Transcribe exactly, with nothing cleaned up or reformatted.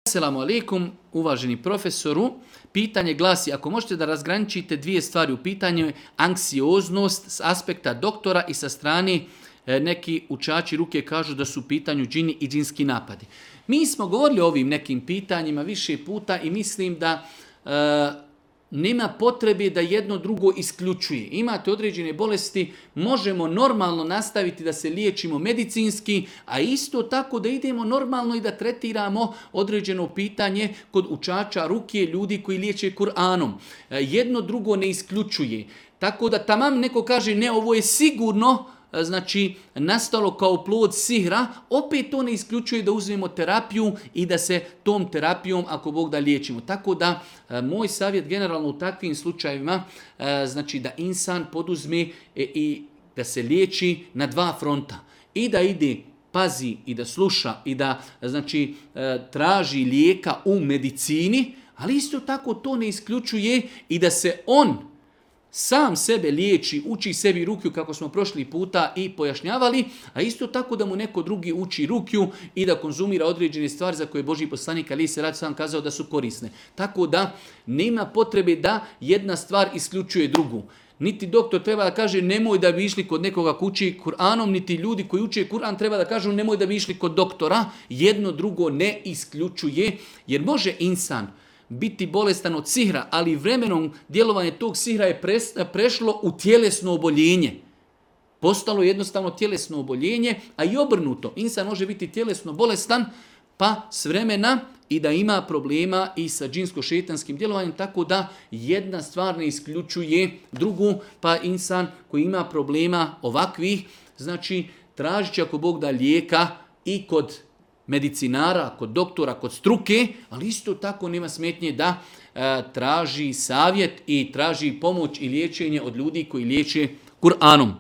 Assalamu alaikum, uvaženi profesoru. Pitanje glasi, ako možete da razgraničite dvije stvari u pitanju je anksioznost s aspekta doktora i sa strane e, neki učači ruke kažu da su u pitanju džini i džinski napadi. Mi smo govorili o ovim nekim pitanjima više puta i mislim da e, nema potrebe da jedno drugo isključuje. Imate određene bolesti, možemo normalno nastaviti da se liječimo medicinski, a isto tako da idemo normalno i da tretiramo određeno pitanje kod učača ruke, ljudi koji liječe Kur'anom. Jedno drugo ne isključuje. Tako da tamam neko kaže ne, ovo je sigurno znači nastalo kao plod sihra, opet to ne isključuje da uzmemo terapiju i da se tom terapijom, ako Bog da, liječimo. Tako da, moj savjet generalno u takvim slučajevima, znači da insan poduzme i da se liječi na dva fronta. I da ide, pazi i da sluša i da znači traži lijeka u medicini, ali isto tako to ne isključuje i da se on sam sebe liječi, uči sebi rukju kako smo prošli puta i pojašnjavali, a isto tako da mu neko drugi uči rukju i da konzumira određene stvari za koje Božji poslanik alejhi selatu selam kazao da su korisne. Tako da nema potrebe da jedna stvar isključuje drugu. Niti doktor treba da kaže nemoj da bi išli kod nekoga ko uči Kur'anom, niti ljudi koji uče Kur'an treba da kažu nemoj da bi išli kod doktora. Jedno drugo ne isključuje, jer može insan biti bolestan od sihra, ali vremenom djelovanje tog sihra je prešlo u tjelesno oboljenje. Postalo jednostavno tjelesno oboljenje, a i obrnuto. Insan može biti tjelesno bolestan, pa s vremena i da ima problema i sa džinsko-šejtanskim djelovanjem, tako da jedna stvar ne isključuje drugu, pa insan koji ima problema ovakvih, znači tražit će ako Bog da lijeka i kod medicinara, kod doktora, kod struke, ali isto tako nema smetnje da e, traži savjet i traži pomoć i liječenje od ljudi koji liječe Kur'anom.